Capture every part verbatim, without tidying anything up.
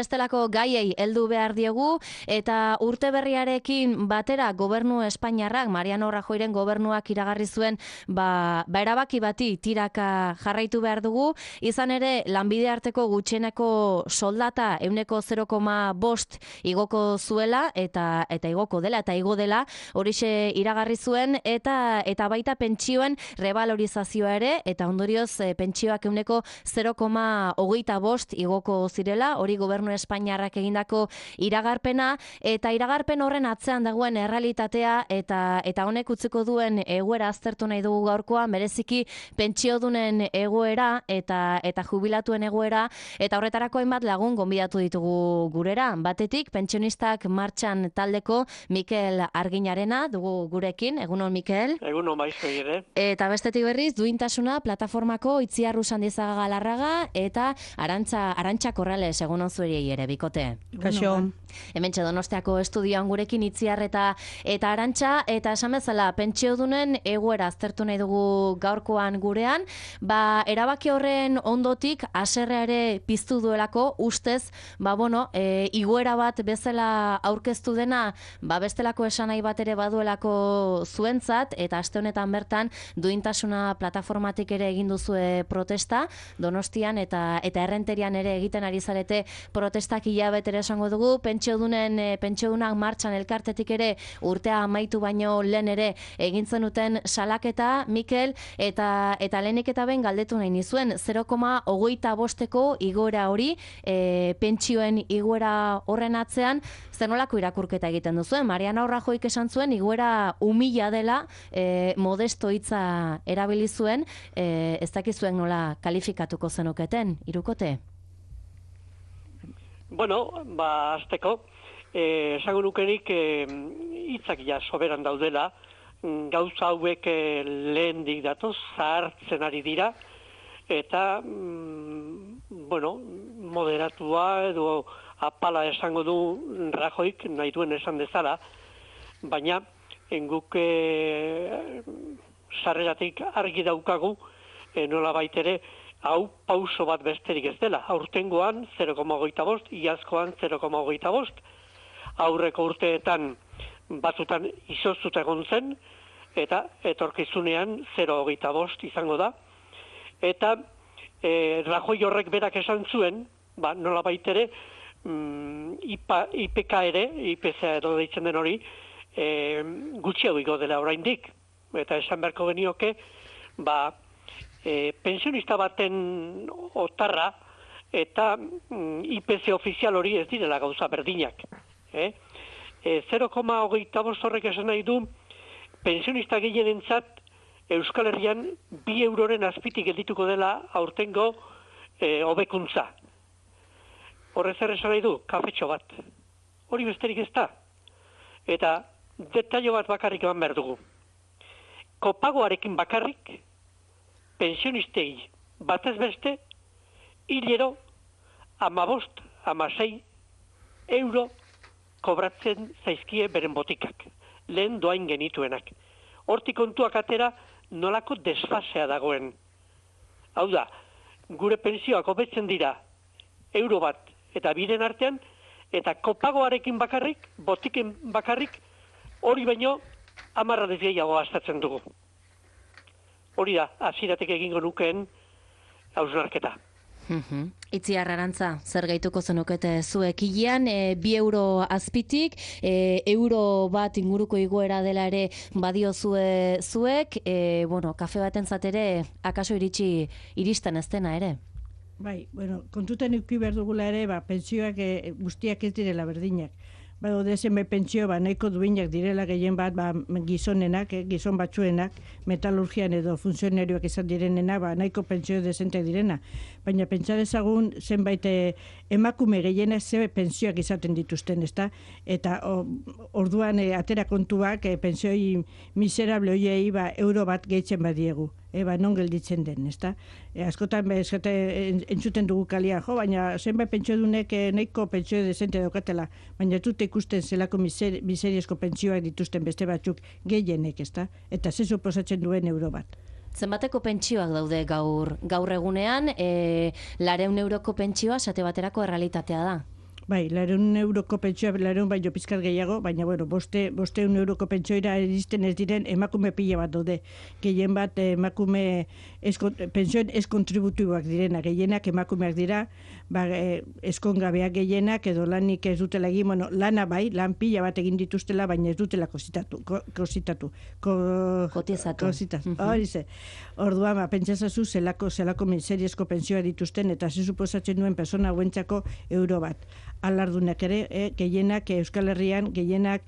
Bestelako gaiei heldu behar diegu eta urte berriarekin batera gobernu Espainiarrak, Mariano Rajoyren gobernuak iragarri zuen ba, ba erabaki bati tiraka jarraitu behar dugu, izan ere lanbide arteko gutxieneko soldata ehuneko zero koma bost igoko zuela eta eta igoko dela eta igo dela horixe iragarri zuen eta eta baita pentsioen rebalorizazioa ere eta ondorioz e, pentsioak ehuneko zero koma hogeita bost igoko zirela, hori gobernu Espainiarrak egindako iragarpena eta iragarpen horren atzean dagoen errealitatea eta eta honek utziko duen egoera aztertu nahi dugu gaurkoan, bereziki pentsiodunen egoera eta eta jubilatuen egoera eta horretarako hainbat lagun gonbidatu ditugu gurera. Batetik pentsionistak martxan taldeko Mikel Arginarena dugu gurekin. Egunon Mikel. Egunon maizoi ere. Eta bestetik berriz duintasuna plataformako Itziar Usandizaga Galarraga eta Arantza Arantxa Corrales. Egunon zuei ere bikote. Kaixo. Hementxe Donostiako estudioan gurekin Itziar eta eta Arantxa eta esan bezala pentsiodunen egoera aztertu nahi dugu gaurkoan gurean, ba erabaki horren ondotik haserrea ere piztu duelako ustez, ba bueno, e, igoera bat bezala aurkeztu dena, ba bestelako esanai bat ere baduelako zuentzat eta aste honetan bertan duintasuna plataformatik ere egin duzue protesta Donostian eta eta Errenterian ere egiten ari zarete protestak hilabetera esango dugu, pentsiodunen e, pentsiodunak martxan elkartetik ere urtea amaitu baino lehen ere egin zenuten salaketa, Mikel, eta eta lehenik eta ben galdetu nahi nizuen zero koma hogeita bosteko igoera hori, e, pentsioen igoera horren atzean, zer nolako irakurketa egiten duzuen? Mariano Rajoyk esan zuen igoera umila dela, e, modesto hitza erabili zuen, e, ez dakizuen nola kalifikatuko zenuketen, hirukote? Bueno, ba, azteko, eh, esango nukenik eh, hitzak ja soberan daudela, gauza hauek eh, lehendik datoz, zahartzen ari dira, eta, mm, bueno, moderatua edo apala esango du Rajoyk nahi duen esan dezala, baina guk eh, sarreratik argi daukagu, eh, nola baitere, hau pauso bat besterik ez dela. Aurtengoan zero koma hogeita bost, iazkoan zero koma hogeita bost, aurreko urteetan batzutan izoztuta egon zen, eta etorkizunean zero koma hogeita bost izango da. Eta e, Rajoy horrek berak esan zuen, ba, nola baitere, mm, I P K ere, I P C edo deitzen den hori, e, gutxiago igo dela oraindik. Eta esan beharko genioke, ba, E, pensionista baten otarra eta mm, I P C ofizial hori ez direla gauza berdinak. Eh? E, zero koma hogeita bost horrek esan nahi du pensionista gehienentzat Euskal Herrian bi euroren azpitik geldituko dela aurtengo e, hobekuntza. Horrez zer esan nahi du, kafetxo bat. Hori besterik ez da. Eta detailo bat bakarrik eman behar dugu. Kopagoarekin bakarrik pensionistei batez beste, hilero amabost, amasei euro kobratzen zaizkie beren botikak, lehen doain genituenak. Hortik kontuak atera nolako desfasea dagoen. Hau da, gure pensioak hobetzen dira euro bat eta biren artean, eta kopagoarekin bakarrik, botiken bakarrik, hori baino hamarra desgehiago gastatzen dugu. Hori da, hasieratik egingo nukeen hausnarketa. Mm-hmm. Itziar Arantza, zer gehituko zenukete zuek hilean, e, bi euro azpitik, e, euro bat inguruko igoera dela ere badio zue, zuek, e, bueno, kafe baten zatere, akaso iritsi iristen ez dena ere? Bai, bueno, kontuten eduki behar dugula ere, ba, pentsioak e, guztiak ez direla berdinak. Ba, dezen be pentsio, ba, nahiko duinak direla gehien bat, ba, gizonenak, eh, gizon batzuenak, metalurgian edo funtzionarioak izan direnena, ba, nahiko pentsio dezentek direna. Baina pentsa dezagun zenbait emakume gehienak ze pentsioak izaten dituzten, ezta? Eta o, orduan e, atera kontuak e, pentsioi miserable hoiei ba, euro bat gehitzen badiegu. Eba, non gelditzen den, ezta? E, askotan be, eskate, entzuten dugu kalia, jo, baina zenbait pentsiodunek e, nahiko pentsio dezente daukatela, baina tute ikusten zelako miser, miseriezko pentsioak dituzten beste batzuk gehienek, ezta? Eta ze suposatzen duen euro bat. Zenbateko pentsioak daude gaur gaur egunean, e, lareun euroko pentsioa sate baterako errealitatea da? Bai, lareun euroko pentsioa, lareun baino pizkat gehiago, baina, bueno, boste, bosteun euroko pentsioira iristen ez diren emakume pila bat daude. Gehien bat emakume pentsioen eskontributiboak direna, gehienak emakumeak dira, ba, eskongabeak gehienak edo lanik ez dutela egin, bueno, lana bai, lan pila bat egin dituztela, baina ez dutela kositatu, ko, kositatu, ko, kotizatu. Kositatu, hori ze. Orduan, ba, pentsazazu zelako, zelako miseriezko pentsioa dituzten, eta ze suposatzen duen persona hauentzako euro bat. Alardunak ere, eh, gehienak Euskal Herrian, gehienak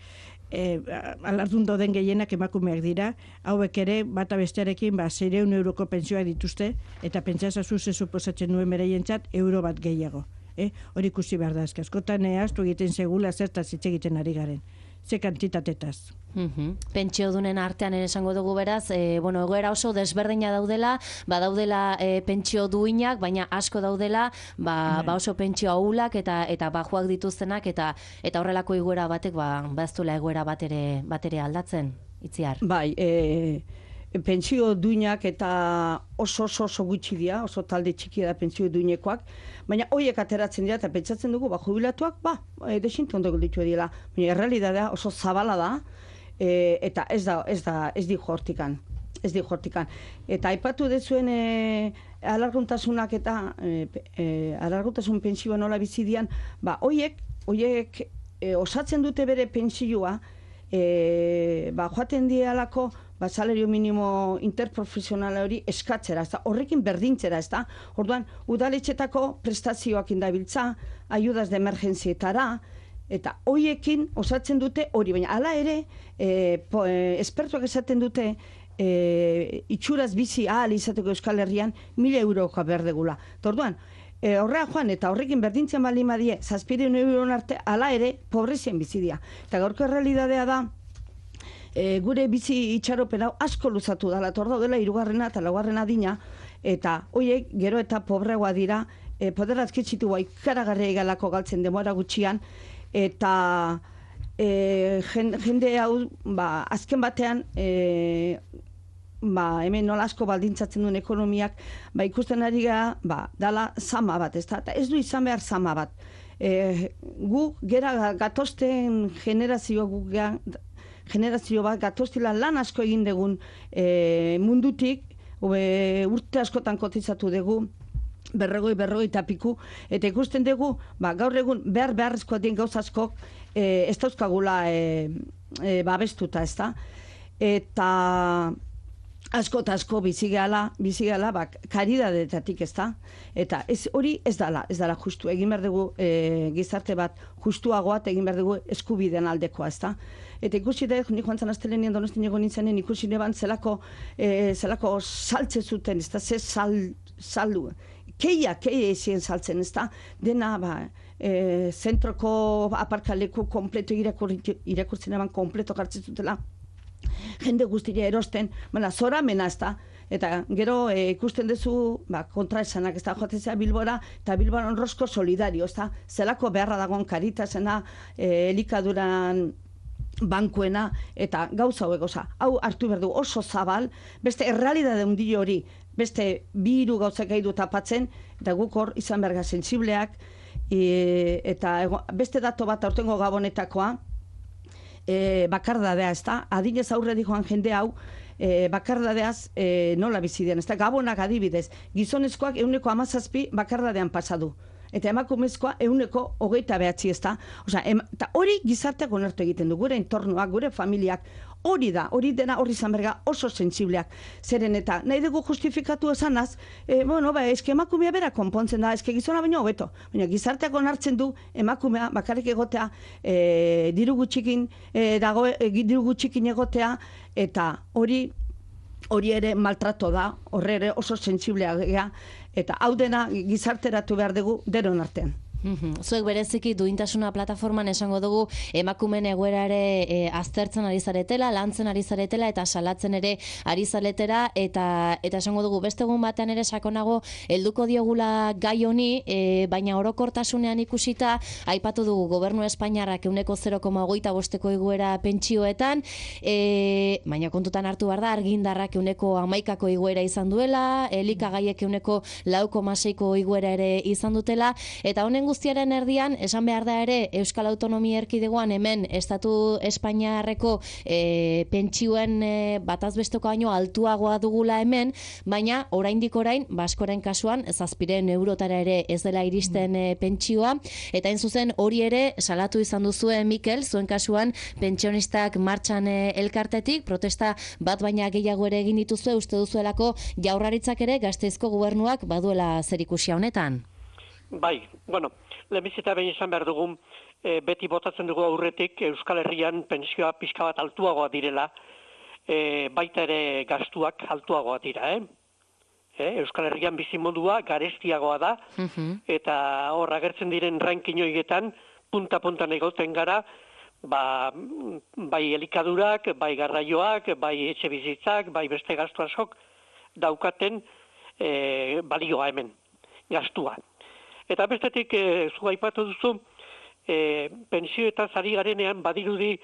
eh, alardun dauden gehienak emakumeak dira, hauek ere bata bestearekin ba seiehun euroko pentsioa dituzte, eta pentsazazu ze suposatzen duen beraientzat euro bat gehiago. Eh? Hori ikusi behar da, askotan eh, astu egiten segula zertaz hitz egiten ari garen. Ze kantitatetaz. Mm-hmm. Pentsiodunen artean ere esango dugu beraz, e, bueno, egoera oso desberdina daudela, ba daudela e, pentsio duinak, baina asko daudela, ba, ba oso pentsio ahulak eta eta bajuak dituztenak eta eta horrelako egoera batek ba baztula egoera bat ere bat ere aldatzen, Itziar. Bai, e, pentsio duinak eta oso oso oso gutxi dira, oso talde txikia da pentsio duinekoak, baina hoiek ateratzen dira eta pentsatzen dugu ba jubilatuak ba e, desintu ondo gelditu dira, baina errealitatea oso zabala da. E, eta ez da ez da ez di hortikan ez di hortikan eta aipatu dezuen e, alarguntasunak eta e, e, alarguntasun pentsioa nola bizi dian, ba hoiek hoiek e, osatzen dute bere pentsioa e, ba joaten dialako ba salario minimo interprofesional hori eskatzera, ezta horrekin berdintzera, ezta. Orduan udaletxetako prestazioak indabiltza, ayudas de emergentzietara, eta hoiekin osatzen dute hori, baina hala ere, e, po, e, espertuak esaten dute e, itxuraz bizi ahal izateko Euskal Herrian mila eurokoa behar degula. Orduan, e, horrea joan eta horrekin berdintzen baldin badie, zazpireun euron arte, hala ere, pobrezien bizi dira. Eta gaurko realitatea da, e, gure bizi itxaropen hau asko luzatu dela, torda dela hirugarrena eta laugarrena dina, eta hoiek gero eta pobregoa dira, e, poderazkitzitu bai ikaragarria galako galtzen demora gutxian, eta e, jende hau ba, azken batean e, ba, hemen nola asko baldintzatzen duen ekonomiak ba, ikusten ari gara ba, dala zama bat, ez da? Ez du izan behar zama bat. E, gu gera gatozten generazio gu gera, generazio bat gatoztila lan asko egin dugun e, mundutik, ube, urte askotan kotizatu dugu, berrogoi, berrogoi eta piku, eta ikusten dugu, ba, gaur egun behar beharrezkoa dien gauz askok e, ez dauzkagula e, e, babestuta, ez da? Eta asko eta asko bizigala, bizigala, ba, karidadetatik, ez da? Eta ez, hori ez dala, ez dala justu, egin behar dugu e, gizarte bat justuagoa, egin behar dugu eskubideen aldekoa, ez da? Eta ikusi da, nik joan zan astelenien donostin egon nintzanen, ikusi neban zelako, e, zelako saltze zuten, ez da? Ze sal, saldu, keia, keia ezien saltzen, ez da? Dena, ba, e, zentroko aparkaleku kompleto irakurtzen eban kompleto jartzen zutela. Jende guztia erosten, baina zora mena, ez da? Eta gero e, ikusten duzu ba, kontraesanak, ez da, joatzea Bilbora, eta Bilbora onrosko solidario, ez da? Zelako beharra dagoen Caritasena, e, elikaduran bankuena, eta gauza hauek, oza, hau hartu behar du oso zabal, beste errealidade hundi hori, beste bi hiru gauzak gaidu tapatzen, eta guk hor izan berga sensibleak, e, eta ego, beste dato bat aurtengo gabonetakoa, e, bakardadea, ez da? Adinez aurre joan jende hau, e, bakardadeaz e, nola bizi den, ez da? Gabonak adibidez, gizonezkoak ehuneko hamazazpi bakardadean pasadu. Eta emakumezkoa ehuneko hogeita behatzi, ez da? Osea, eta hori gizarteak onartu egiten du, gure entornoak, gure familiak, hori da, hori dena hori izan berga oso sentsibleak. Zeren eta nahi dugu justifikatu esanaz, e, bueno, ba, eske emakumea bera konpontzen da, eske gizona baino hobeto. Baina gizarteak onartzen du emakumea bakarrik egotea, e, diru gutxikin, e, dago, e, diru gutxikin egotea, eta hori hori ere maltrato da, horre ere oso sentsiblea gea, eta hau dena gizarteratu behar dugu denon artean. Zuek bereziki duintasuna plataforman esango dugu emakumeen egoera ere e, aztertzen ari zaretela, lantzen ari zaretela eta salatzen ere ari zaretela eta eta esango dugu beste egun batean ere sakonago helduko diogula gai honi, e, baina orokortasunean ikusita aipatu dugu gobernu Espainiarrak ehuneko zero koma hogeita bosteko igoera pentsioetan, e, baina kontutan hartu behar da argindarrak ehuneko hamaikako igoera izan duela, elikagaiek ehuneko lau koma seiko igoera ere izan dutela, eta honen guztiaren erdian, esan behar da ere, Euskal Autonomia Erkidegoan hemen Estatu Espainiarreko e, pentsioen e, batazbesteko baino altuagoa dugula hemen, baina oraindik orain, baskoren kasuan, zazpiren eurotara ere ez dela iristen e, pentsioa, eta hain zuzen hori ere salatu izan duzue, Mikel, zuen kasuan pentsionistak martxan e, elkartetik, protesta bat baina gehiago ere egin dituzue, uste duzuelako Jaurlaritzak ere Gasteizko gobernuak baduela zerikusia honetan. Bai, bueno, lehenbizita behin izan behar dugun, e, beti botatzen dugu aurretik Euskal Herrian pentsioa pixka bat altuagoa direla, e, baita ere gastuak altuagoa dira, eh? E, Euskal Herrian bizimodua garestiagoa da, eta hor agertzen diren ranking horietan, punta-puntan egoten gara, ba, bai elikadurak, bai garraioak, bai etxe bizitzak, bai beste gastu askok daukaten e, balioa hemen, gastua. Eta bestetik, e, zu aipatu duzu, e, pensioetaz ari garenean badirudi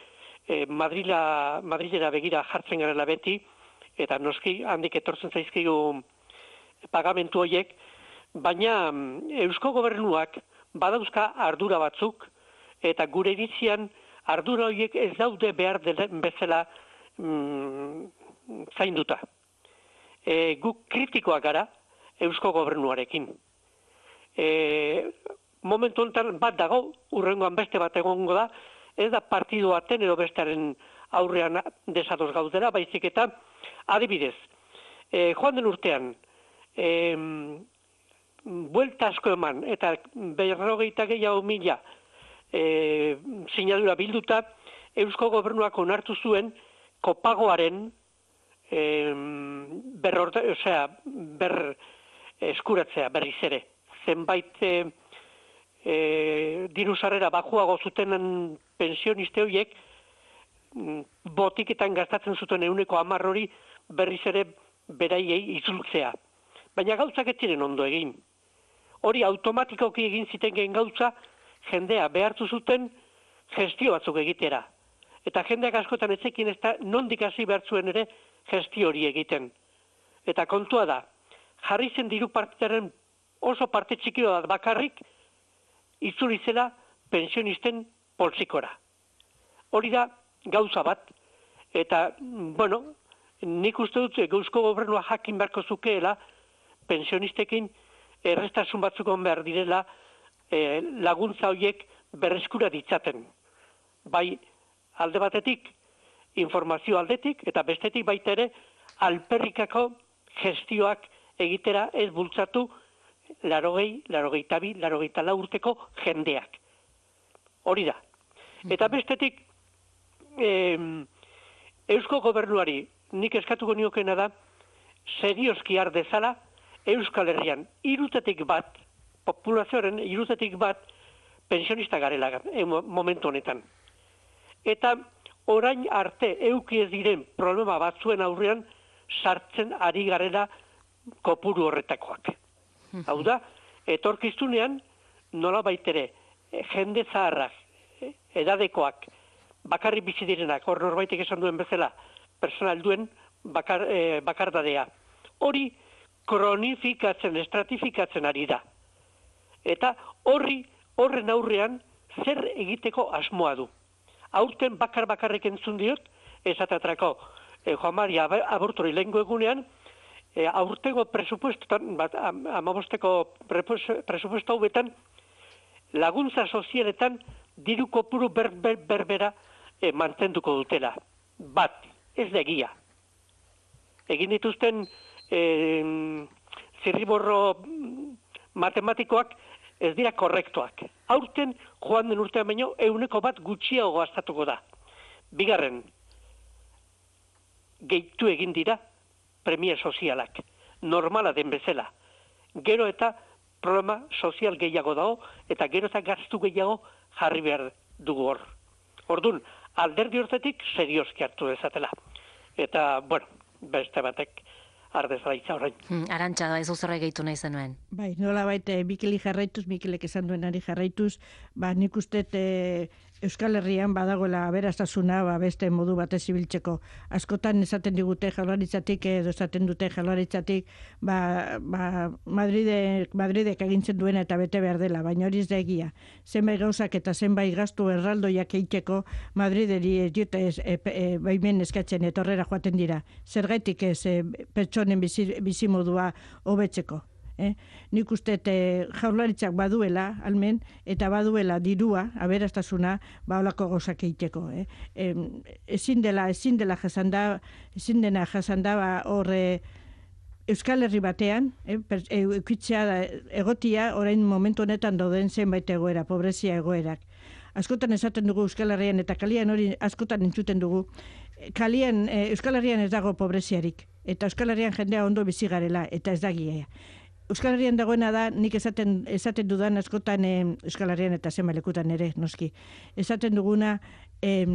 e, Madrila, Madrilera begira jartzen garela beti, eta noski handik etortzen zaizkigu pagamentu horiek, baina Eusko Gobernuak badauzka ardura batzuk, eta gure iritzian ardura horiek ez daude behar delen bezala mm, zainduta. E, guk kritikoak gara Eusko Gobernuarekin. E, momentu honetan bat dago, urrengoan beste bat egongo da, ez da partidu baten edo bestearen aurrean desados gaudera, baizik eta adibidez, e, joan den urtean, e, buelta asko eman, eta berrogeita gehiago mila, E, sinadura bilduta, Eusko Gobernuak onartu zuen kopagoaren e, berrorte, osea, ber eskuratzea berriz ere. Zenbait e, e, diru sarrera bajuago zutenen pensioniste horiek botiketan gastatzen zuten ehuneko hamar hori berriz ere beraiei itzultzea. Baina gauzak ez ziren ondo egin. Hori automatikoki egin zitenen gauza, jendea behartu zuten gestio batzuk egitera. Eta jendeak askotan etzekin ez da nondik hasi behar zuen ere gestio hori egiten. Eta kontua da, jarri zen diru partaren oso parte txiki bat bakarrik itzuli zela pensionisten poltsikora. Hori da gauza bat, eta, bueno, nik uste dut Eusko Gobernua jakin beharko zukeela pensionistekin errestasun batzuk on behar direla E, laguntza horiek berreskura ditzaten. Bai alde batetik, informazio aldetik, eta bestetik baita ere, alperrikako gestioak egitera ez bultzatu larogei, larogeita bi, larogeita lau urteko jendeak. Hori da. Eta bestetik, e, Eusko Gobernuari nik eskatuko niokena da, serioski har dezala Euskal Herrian hirutetik bat, populazioaren irutetik bat pensionista garela e, momentu honetan. Eta orain arte euki ez diren problema batzuen aurrean sartzen ari garela kopuru horretakoak. Hau da, etorkizunean nola baitere jende zaharrak, edadekoak, bakarri bizi direnak, hor norbaitek esan duen bezala, personal duen bakar, e, bakardadea. Hori kronifikatzen, estratifikatzen ari da. Eta horri, horren aurrean, zer egiteko asmoa du. Aurten bakar-bakarrek entzun diot, esateatrako eh, Juan Maria abortori lehenko egunean, eh, aurtego presupuestotan, bat, am, amabosteko presupuesto hauetan, laguntza sozialetan diru kopuru ber, ber, berbera eh, mantenduko dutela. Bat, ez da egia. Egin dituzten eh, zirriborro matematikoak ez dira korrektoak. Aurten, joan den urtean baino, euneko bat gutxiago gastatuko da. Bigarren, gehitu egin dira premia sozialak. Normala den bezala. Gero eta programa sozial gehiago dago, eta gero eta gastu gehiago jarri behar dugu hor. Ordun, alderdi hortetik serioski hartu dezatela. Eta, bueno, beste batek ardezala itza horrein. Hmm, Arantxa, da, ez uzorra gehitu nahi zenuen. Bai, nola baita, Mikeli jarraituz, Mikelek esan duenari jarraituz, ba, nik uste e, Euskal Herrian badagoela aberastasuna ba, beste modu batez ibiltzeko. Askotan esaten digute Jaurlaritzatik edo esaten dute Jaurlaritzatik ba, ba, Madridek, Madridek agintzen duena eta bete behar dela, baina hori ez da egia. Zenbait gauzak eta zenbait gastu erraldoiak egiteko Madrideri ez diote ez, e, e, baimen eskatzen etorrera joaten dira. Zergaitik ez e, pertsonen bizi, bizimodua hobetzeko. Eh? Nik uste e, Jaurlaritzak baduela, almen, eta baduela dirua, aberastasuna, ba holako gauzak egiteko. Eh? E, ezin dela, ezin dela jasanda, ezin dena jasanda, ba horre Euskal Herri batean, eh, eukitzea da, egotia, orain momentu honetan dauden zenbait egoera, pobrezia egoerak. Askotan esaten dugu Euskal Herrian eta kalian hori askotan entzuten dugu. Kalian, eh, Euskal Herrian ez dago pobreziarik, eta Euskal Herrian jendea ondo bizi garela, eta ez da gia. Euskal Herrian dagoena da, nik esaten, esaten dudan askotan e, Euskal Herrian eta zenbalekutan ere, noski. Esaten duguna, e,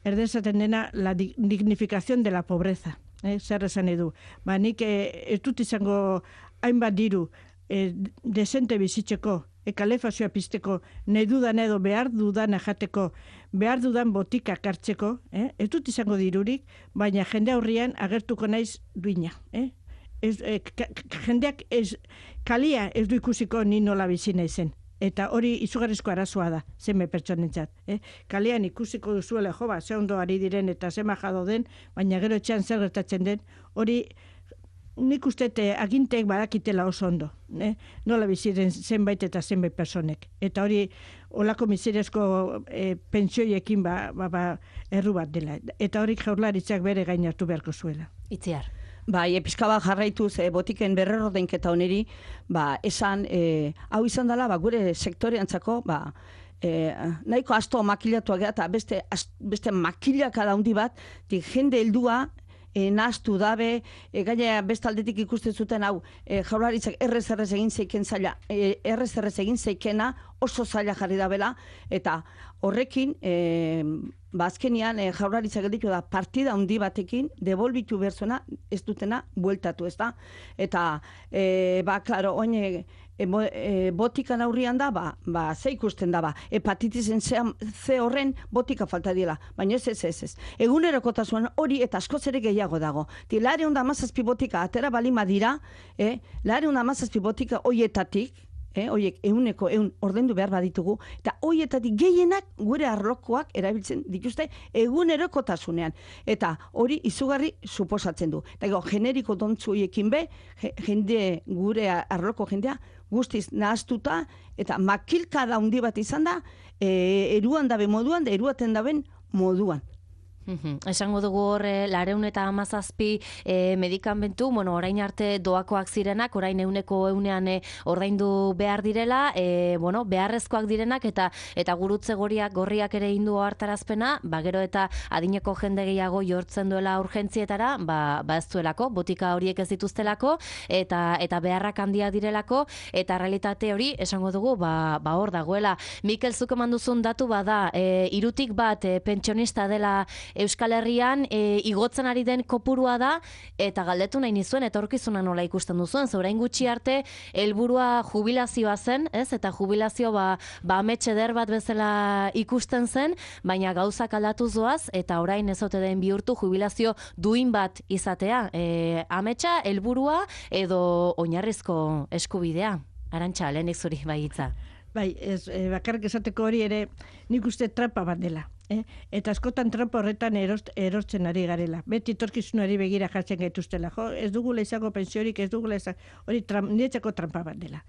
erdezaten dena, la dignificación de la pobreza. Eh, zer esan edu. Ba, nik e, ez dut izango hainbat diru e, desente bizitzeko, e, kalefazioa pizteko, nahi dudan edo behar dudan jateko, behar dudan botikak hartzeko, eh? Ez dut izango dirurik, baina jende aurrian agertuko naiz duina. Eh? Ez, e, jendeak ez, kalia ez du ikusiko ni nola bizi naizen. Eta hori izugarrizko arazoa da, zeme pertsonentzat. Eh? Kalean ikusiko duzuela, jo ba, ze ondo ari diren eta ze majado den, baina gero etxean zer gertatzen den, hori nik uste aginteek badakitela oso ondo. Eh? Nola biziren zenbait eta zenbait personek. Eta hori, olako miseriazko e, pentsioiekin ba, ba, ba, erru bat dela. Eta hori Jaurlaritzak bere gain hartu beharko zuela. Itziar. Bai, pixka bat jarraituz e, botiken berrordainketa honeri, ba, esan, e, hau izan dela, ba, gure sektoreantzako, ba, e, nahiko asto makilatu agea, eta beste, ast, beste makilaka daundi bat, dik jende heldua, e, nahaztu dabe, e, gaina bestaldetik ikusten zuten hau, e, Jaurlaritzak errez errez egin zeiken zaila, e, errez errez egin zeikena, oso zaila jarri dabela, eta horrekin, e, bazkenian e, Jaurlaritzak gelditu da partida handi batekin devolbitu berzona ez dutena bueltatu, ez da? Eta, e, ba, klaro, oin e, e, botikan aurrian da, ba, ba, ze ikusten da, ba, hepatitisen ze horren botika falta dira, baina ez ez ez ez. Egunerokotasunan hori eta askoz ere gehiago dago. Ti, lareun da mazazpi botika atera balima dira, eh? lareun da mazazpi botika hoietatik, Eh, oiek euneko eun ordendu behar baditugu, eta hoietatik gehienak gure arlokoak erabiltzen dituzte egunerokotasunean. Eta hori izugarri suposatzen du. Eta go, generiko dontzu hoiekin be, jende gure arloko jendea guztiz nahaztuta, eta makilka da handi bat izan da, e, eruan dabe moduan, da eruaten daben moduan. Uhum. Esango dugu horre, lareun eta amazazpi e, medikamentu, bueno, orain arte doakoak zirenak, orain euneko eunean e, ordaindu behar direla, e, bueno, beharrezkoak direnak, eta eta gurutze goriak, gorriak ere indu hartarazpena, ba, gero eta adineko jende gehiago jortzen duela urgentzietara, ba, ba ez duelako, botika horiek ez dituztelako, eta eta beharrak handia direlako, eta realitate hori, esango dugu, ba, ba hor dagoela. Mikel, zuk eman duzun datu bada, e, irutik bat e, pentsionista dela Euskal Herrian e, igotzen ari den kopurua da, eta galdetu nahi nizuen, etorkizuna nola ikusten duzuen, zorain gutxi arte helburua jubilazioa zen, ez? Eta jubilazio ba, ba ametxe eder bat bezala ikusten zen, baina gauzak aldatu zoaz, eta orain ez ote den bihurtu jubilazio duin bat izatea. E, ametxa, helburua edo oinarrizko eskubidea. Arantxa, lehenik zuri bai hitza. Bai, ez, e, bakarrik esateko hori ere nik uste trampa bat dela. Eh? Eta askotan trampa horretan erost, erortzen ari garela. Beti torkizunari begira jartzen gaituztela. Jo, ez dugula izango pensiorik, ez dugula izango, hori tram, niretzako trampa bat dela.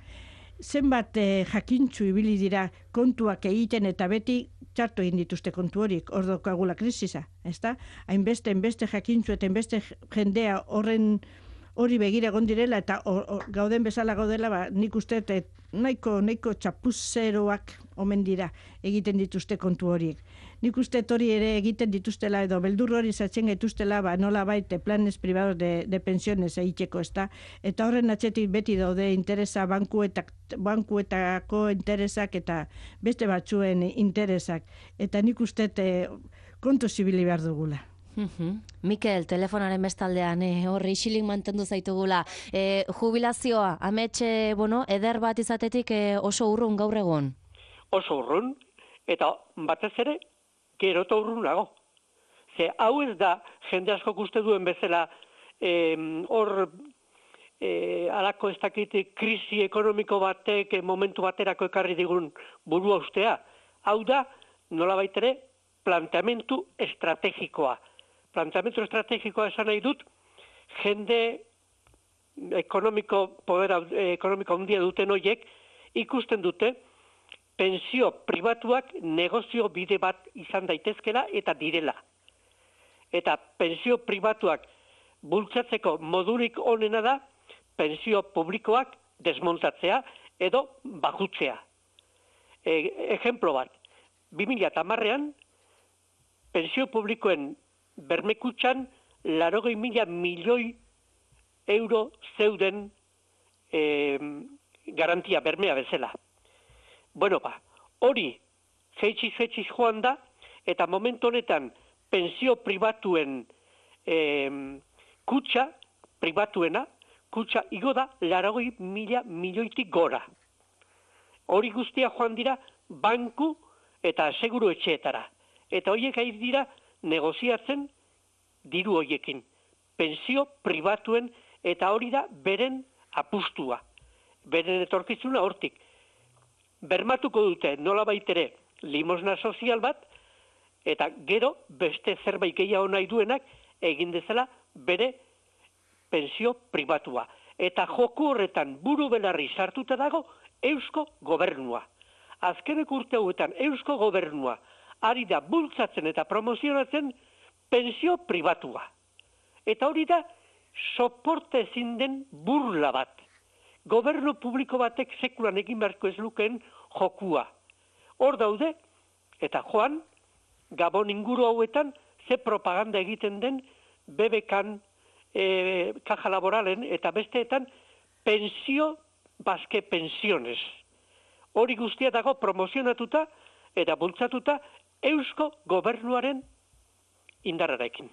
Zenbat eh, jakintzu ibili dira kontuak egiten eta beti txartu egin dituzte kontu horik, hor daukagula krisisa, ezta? Hainbeste, hainbeste jakintzu eta hainbeste jendea horren hori begira egon direla eta or, or, gauden bezala gaudela, ba, nik uste et, nahiko, nahiko txapuzeroak omen dira egiten dituzte kontu horiek. Nik uste hori ere egiten dituztela edo beldur hori zatzen gaituztela, ba, nola baite planes privados de, de pensiones egiteko, ezta? Eta horren atzetik beti daude interesa bankuetak, bankuetako interesak eta beste batzuen interesak. Eta nik uste kontu zibili behar dugula. Uhum. Mikel, telefonaren bestaldean, eh, horri isilik mantendu zaitugula. Eh, jubilazioa, ametxe, bueno, eder bat izatetik eh, oso urrun gaur egon? Oso urrun, Eta batez ere, gero eta urrunago. Ze hau ez da, jende asko uste duen bezala, hor, e, alako ez dakit krisi ekonomiko batek e, momentu baterako ekarri digun burua ustea. Hau da, nolabait ere, planteamentu estrategikoa. Planteamentu estrategikoa esan nahi dut, jende ekonomiko, poder ekonomiko handia duten horiek, ikusten dute, pensio pribatuak negozio bide bat izan daitezkela eta direla. Eta pensio pribatuak bultzatzeko modurik onena da, pensio publikoak desmontatzea edo bajutzea. E, ejemplo bat, bi mila hamarrean, pensio publikoen bermekutxan laurogei mila milioi euro zeuden e, garantia bermea bezala. Bueno, ba, hori jeitxiz jeitxiz joan da, eta momentu honetan pensio pribatuen e, kutxa, pribatuena, kutxa igo da laurogei mila milioitik gora. Hori guztia joan dira banku eta seguru etxeetara. Eta horiek ari dira negoziatzen diru horiekin. Pensio pribatuen eta hori da beren apustua. Beren etorkizuna hortik. Bermatuko dute nola baitere limosna sozial bat, eta gero beste zerbait gehiago nahi duenak egin dezala bere pensio pribatua. Eta joku horretan buru belarri sartuta dago Eusko Gobernua. Azkeneko urte hauetan Eusko Gobernua ari da bultzatzen eta promozionatzen pensio pribatua. Eta hori da soporte ezin den burla bat. Gobernu publiko batek sekulan egin beharko ez lukeen jokua. Hor daude, eta joan, Gabon inguru hauetan, ze propaganda egiten den B B K-an, e, Caja Laboralen, eta besteetan, pensio, baske pensiones. Hori guztia dago promozionatuta eta bultzatuta Eusko Gobernuaren indarrarekin.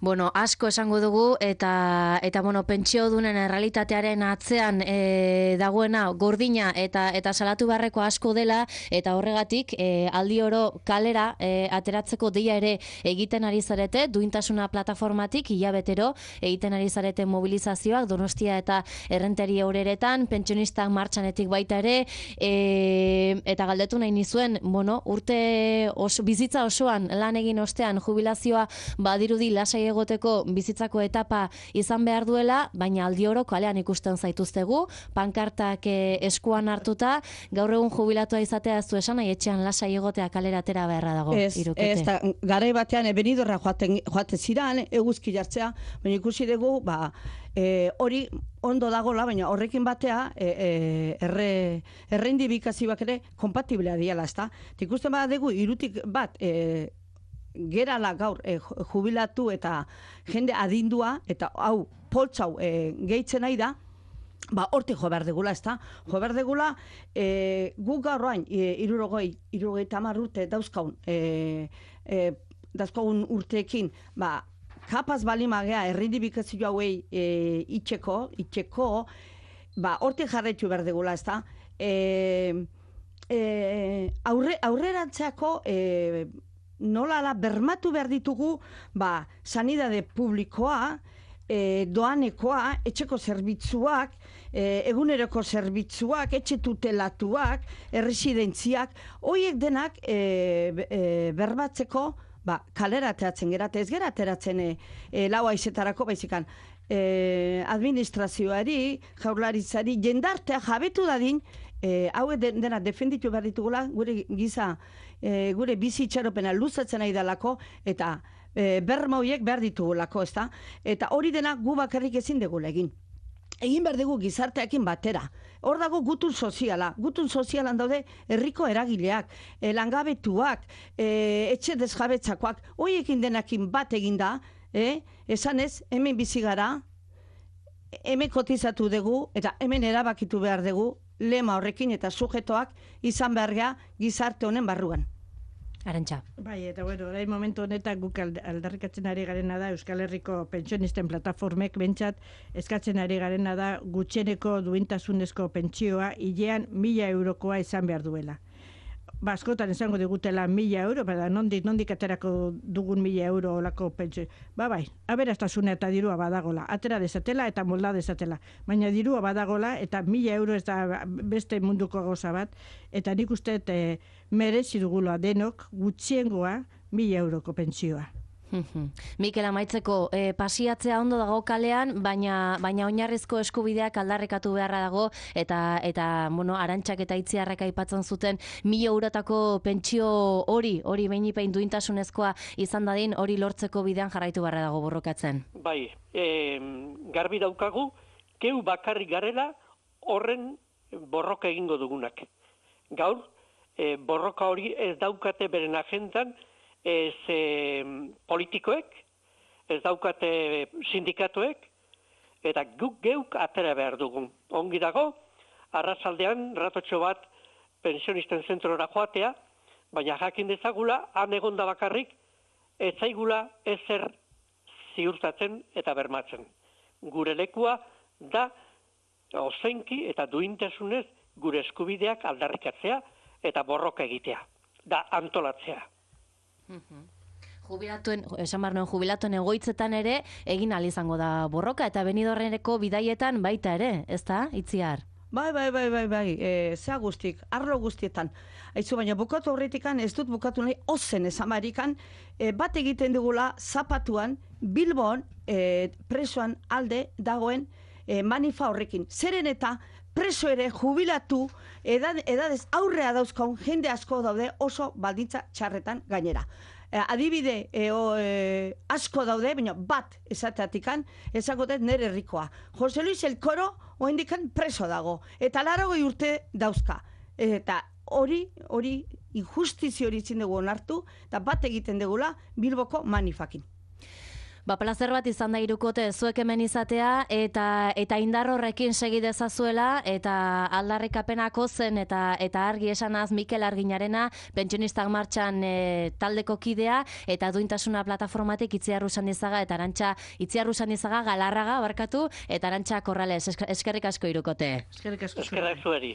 Bueno, asko esango dugu eta eta bueno, pentsiodunen errealitatearen atzean e, dagoena gordina eta eta salatu beharreko asko dela eta horregatik e, aldi oro kalera e, ateratzeko deia ere egiten ari zarete, duintasuna plataformatik hilabetero egiten ari zarete mobilizazioak Donostia eta Errenteria Ureretan, pentsionistak martxanetik baita ere e, eta galdetu nahi nizuen, bueno, urte oso, bizitza osoan lan egin ostean jubilazioa badirudi lasai egoteko bizitzako etapa izan behar duela, baina aldi oro kalean ikusten zaituztegu, pankartak eh, eskuan hartuta, gaur egun jubilatua izatea ez du esan, nahi etxean lasai egotea kalera atera beharra dago. Ez, Irukete. ez da, garai batean ebenidorra joaten, joate ziran, eguzki jartzea, baina ikusi dugu, ba, e, hori ondo dagola, baina horrekin batea e, e, erre, erreindibikazioak ere kompatiblea diala, ezta? Ikusten bada dugu, irutik bat, e, gerala gaur e, jubilatu eta jende adindua, eta hau poltsau e, gehitzen nahi da, ba, hortik jo behar degula, ezta? Jo behar degula, e, guk gaur orain, e, irurogei, irurogei tamar urte dauzkaun, e, e, dauzkaun urteekin, ba, kapaz balimagea errindibikazio hauei e, itxeko, itxeko, ba, hortik jarraitu behar degula, ezta? E, e, aurre, aurrerantzeako, e, nola da bermatu behar ditugu, ba, sanidade publikoa, e, doanekoa, etxeko zerbitzuak, e, eguneroko zerbitzuak, etxe tutelatuak, erresidentziak, horiek denak e, e, berbatzeko, ba, kalera ateratzen gerate, ez gera ateratzen e, e, lau aizetarako baizikan, e, administrazioari, jaurlaritzari, jendartea jabetu dadin, e, hau dena defenditu behar ditugula, gure giza, e, gure bizi itxaropena luzatzen nahi dalako, eta e, berma horiek behar ditugulako, ezta? Eta hori dena gu bakarrik ezin degula egin. Egin behar dugu gizarteakin batera. Hor dago gutun soziala. Gutun sozialan daude herriko eragileak, e, langabetuak, e, etxe desjabetzakoak, horiekin denakin bat egin da, e, esan ez, hemen bizi gara, hemen kotizatu dugu, eta hemen erabakitu behar dugu, lema horrekin eta sujetoak izan behar gea gizarte honen barruan. Arantxa. Bai, eta bueno, orain momentu honetan guk aldarrikatzen ari garena da Euskal Herriko pentsionisten plataformek bentsat eskatzen ari garena da gutxeneko duintasunezko pentsioa hilean mila eurokoa izan behar duela. ba, askotan esango digutela mila euro, bada, nondik, nondik aterako dugun mila euro olako pentsio. Ba, bai, aberastasuna eta dirua badagola, atera dezatela eta molda dezatela. Baina dirua badagola eta mila euro ez da beste munduko gauza bat, eta nik uste e, merezi dugula denok gutxiengoa mila euroko pentsioa. Mikel, amaitzeko, eh, pasiatzea ondo dago kalean, baina baina oinarrizko eskubideak aldarrekatu beharra dago, eta eta bueno, Arantxak eta Itziarrek aipatzen zuten mila eurotako pentsio hori, hori behinipein duintasunezkoa izan dadin, hori lortzeko bidean jarraitu beharra dago borrokatzen. Bai, e, garbi daukagu, geu bakarrik garela horren borroka egingo dugunak. Gaur, e, borroka hori ez daukate beren agendan, ez e, politikoek, ez daukate sindikatuek, eta guk geuk atera behar dugun. Ongi dago, arratsaldean ratotxo bat pensionisten zentrora joatea, baina jakin dezagula, han egonda bakarrik, ez zaigula ezer ziurtatzen eta bermatzen. Gure lekua da ozenki eta duintasunez gure eskubideak aldarrikatzea eta borroka egitea, da antolatzea. Jubilatuen, esan behar nuen, jubilatuen egoitzetan ere egin ahal izango da borroka, eta Benidorreneko bidaietan baita ere, ez da, Itziar? Bai, bai, bai, bai, bai, e, zea guztik, arlo guztietan. Aizu, baina bukatu horretikan, ez dut bukatu nahi, ozen esamarikan, e, bat egiten dugula zapatuan, Bilbon, e, presoan alde dagoen e, manifa horrekin. Zeren eta preso ere jubilatu, edad, edadez aurrea dauzkaun jende asko daude oso baldintza txarretan gainera. E, adibide e, o, e, asko daude, baina bat esateatikan, ezagotet nere herrikoa. Jose Luis Elkoro, oendikan preso dago, eta laragoi urte dauzka. Eta hori, hori, injustizio hori itzin dugu onartu, eta bat egiten dugula Bilboko manifakin. Ba, plazer bat izan da irukote zuek hemen izatea, eta eta indar horrekin segi dezazuela, eta aldarrikapenako zen, eta eta argi esanaz Mikel Arginarena, Pentsionistak Martxan e, taldeko kidea, eta duintasuna plataformatik Itziar Usanizaga, eta Arantxa Itziar Usanizaga Galarraga barkatu, eta Arantxa Corrales, eskerrik asko irukote. Eskerrik asko. Eskerrak zueri.